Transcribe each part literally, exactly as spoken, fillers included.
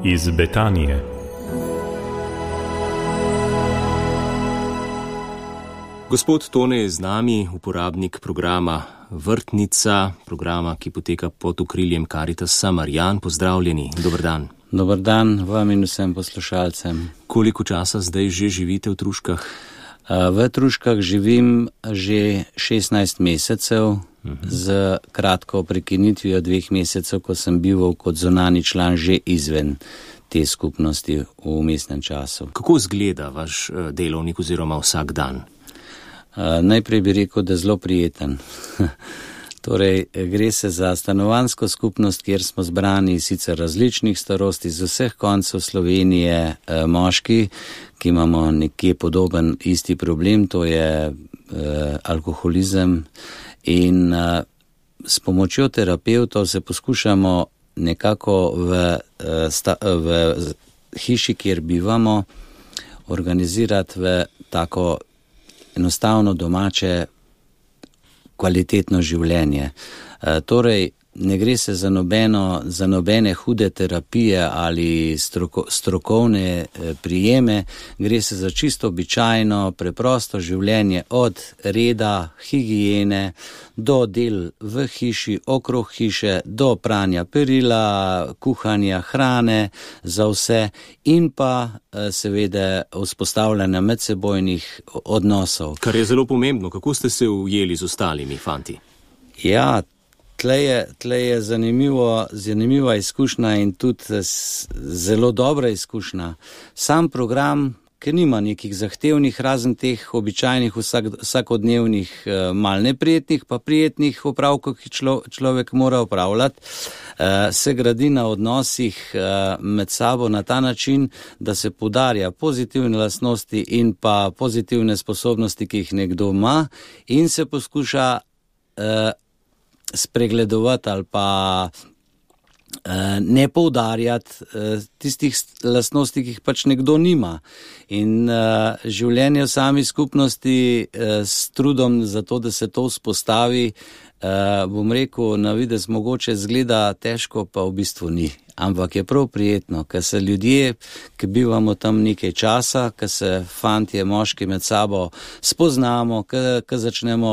iz Betanije. Gospod Tone je z nami, uporabnik programa Vrtnica, programa, ki poteka pod okriljem Caritasa Marijan. Pozdravljeni, dober dan. Dober dan vam in vsem poslušalcem. Koliko časa zdaj že živite v Truškah? V Truškah živim že šestnajst mesecev, uh-huh. z kratko prekinitvijo dveh mesecev, ko sem bival kot zunanji član že izven te skupnosti v vmesnem času. Kako izgleda vaš delovnik oziroma vsak dan? Uh, najprej bi rekel, da je zelo prijeten. Torej, gre se za stanovanjsko skupnost, kjer smo zbrani sicer različnih starosti z vseh koncev Slovenije, eh, moški, ki imamo nekje podoben isti problem, to je eh, alkoholizem. In eh, s pomočjo terapevtov se poskušamo nekako v, eh, sta, v hiši, kjer bivamo, organizirati v tako enostavno domače kvalitetno življenje. E, torej, ne gre se za, nobeno, za nobene hude terapije ali stroko, strokovne e, prijeme, gre se za čisto običajno, preprosto življenje od reda, higijene, do del v hiši, okrog hiše, do pranja perila, kuhanja hrane za vse in pa seveda vzpostavljanja medsebojnih odnosov. Kar je zelo pomembno, kako ste se ujeli z ostalimi fanti? Ja, tle je, tle je zanimivo, zanimiva izkušnja in tudi zelo dobra izkušnja. Sam program, ki nima nekih zahtevnih, razen teh običajnih vsak, vsakodnevnih mal neprijetnih, pa prijetnih opravkov, ki člo, človek mora opravljati, se gradi na odnosih med sabo na ta način, da se poudarja pozitivne lastnosti in pa pozitivne sposobnosti, ki jih nekdo ima, in se poskuša spregledovati ali pa ne poudarjati tistih lastnosti, ki jih pač nekdo nima. In uh, življenje v sami skupnosti uh, s trudom za to, da se to vzpostavi, uh, bom rekel, na videz mogoče zgleda težko, pa v bistvu ni. Ampak je prav prijetno, ker se ljudje, ki bivamo tam nekaj časa, ker se fantje, moški med sabo spoznamo, ker začnemo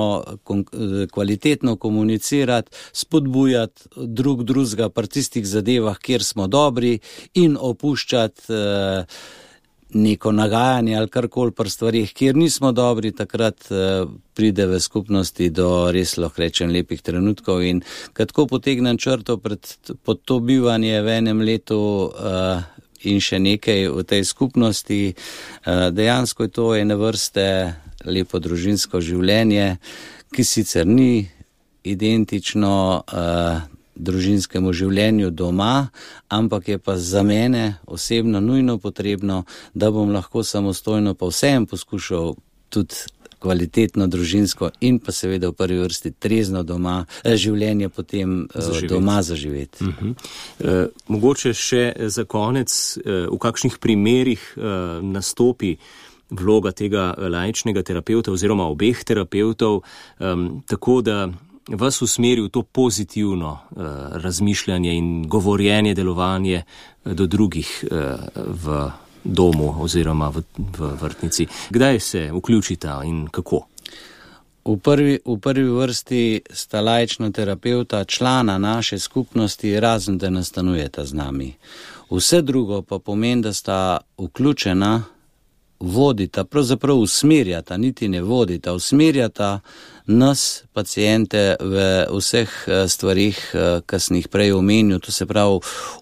kvalitetno komunicirati, spodbujati drug drugega pri tistih zadevah, kjer smo dobri, in opuščati uh, neko nagajanje ali karkoli pri stvarih, kjer nismo dobri, takrat uh, pride v skupnosti do res, lahko rečem, lepih trenutkov. In katko potegnem črto pred, pod to bivanje v enem letu uh, in še nekaj v tej skupnosti, uh, dejansko je to ene vrste lepo družinsko življenje, ki sicer ni identično uh, družinskemu življenju doma, ampak je pa za mene osebno nujno potrebno, da bom lahko samostojno pa vsem poskušal tudi kvalitetno družinsko in pa seveda v prvi vrsti trezno doma, življenje potem zaživeti. Doma zaživeti. Uh-huh. E, mogoče še za konec, e, v kakšnih primerih e, nastopi vloga tega laičnega terapevta oziroma obeh terapeutov, e, tako da vas usmeri v to pozitivno uh, razmišljanje in govorjenje, delovanje uh, do drugih uh, v domu oziroma v, v vrtnici. Kdaj se vključita in kako? V prvi, v prvi vrsti sta laična terapeuta člana naše skupnosti, razen da nastanujeta z nami. Vse drugo pa pomeni, da sta vključena, vodita, pravzaprav usmerjata, niti ne vodita, usmerjata nas, pacijente, v vseh stvarih, ki sem jih prej omenil, to se pravi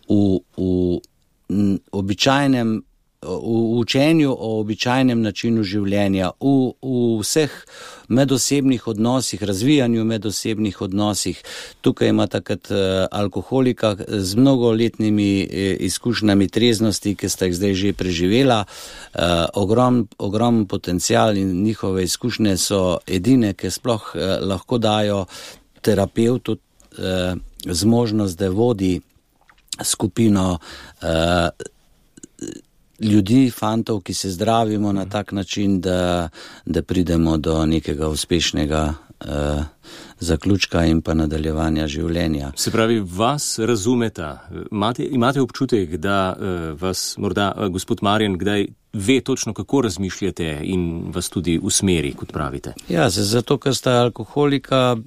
v, v običajnem, v učenju o običajnem načinu življenja, v, v vseh medosebnih odnosih, razvijanju medosebnih odnosih. Tukaj ima takrat alkoholika z mnogoletnimi izkušnjami treznosti, ki sta jih zdaj že preživela, ogrom, ogrom potencial, in njihove izkušnje so edine, ki sploh lahko dajo terapevtu zmožnost, da vodi skupino ljudi, fantov, ki se zdravimo na tak način, da, da pridemo do nekega uspešnega uh, zaključka in pa nadaljevanja življenja. Se pravi, vas razumeta, imate, imate občutek, da uh, vas morda uh, gospod Marjan kdaj ve točno, kako razmišljate in vas tudi usmeri, kot pravite? Ja, zato, ker sta alkoholika,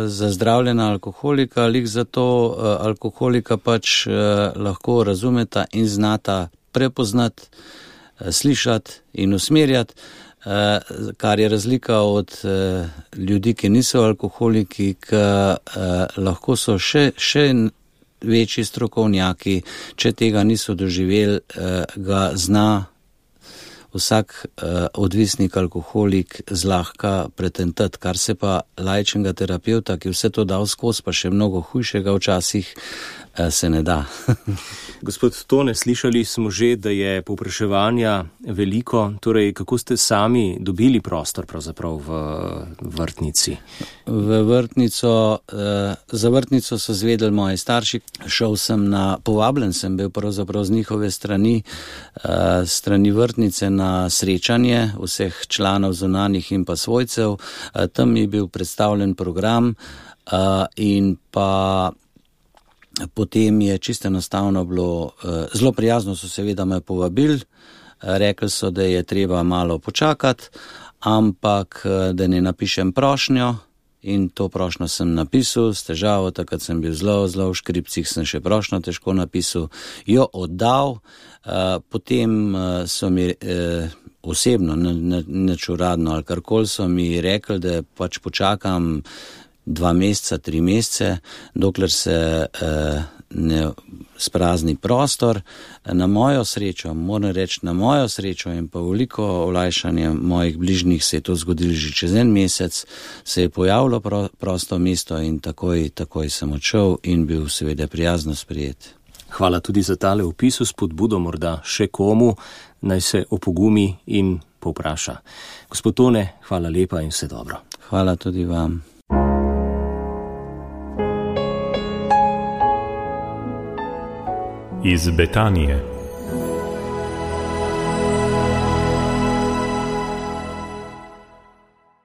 zazdravljena alkoholika, lik zato uh, alkoholika pač uh, lahko razumeta in znata prepoznati, uh, slišati in usmerjati, uh, kar je razlika od uh, ljudi, ki niso alkoholiki, ki uh, lahko so še, še večji strokovnjaki, če tega niso doživeli, uh, ga zna vsak uh, odvisnik alkoholik zlahka pretentati, kar se pa laičnega terapeuta, ki vse to dal skozi, pa še mnogo hujšega včasih, uh, se ne da. Gospod Tone, slišali smo že, da je povpraševanja veliko, torej kako ste sami dobili prostor pravzaprav v vrtnici? V vrtnico, uh, za vrtnico so zvedeli moji starši, šel sem na, povabljen sem bil pravzaprav z njihove strani, uh, strani vrtnice na srečanje vseh članov zunanjih in pa svojcev. Tam je bil predstavljen program in pa potem je čisto enostavno bilo, zelo prijazno so seveda me povabili, rekli so, da je treba malo počakati, ampak da ne napišem prošnjo. In to prošnjo sem napisal s težavo, takrat sem bil zelo, zelo v škripcih, sem še prošnjo težko napisal, jo oddal, uh, potem uh, so mi uh, osebno, neč uradno ali karkoli so mi rekli, da pač počakam dva meseca, tri mesece, dokler se uh, ne sprazni prostor. Na mojo srečo, moram reči, na mojo srečo in pa veliko olajšanje mojih bližnjih se je to zgodilo že čez en mesec, se je pojavilo pro, prosto mesto in takoj, takoj sem odšel in bil seveda prijazno sprejet. Hvala tudi za tale opis, spodbudo morda še komu, naj se opogumi in povpraša. Gospod Tone, hvala lepa in vse dobro. Hvala tudi vam. Iz Betanije.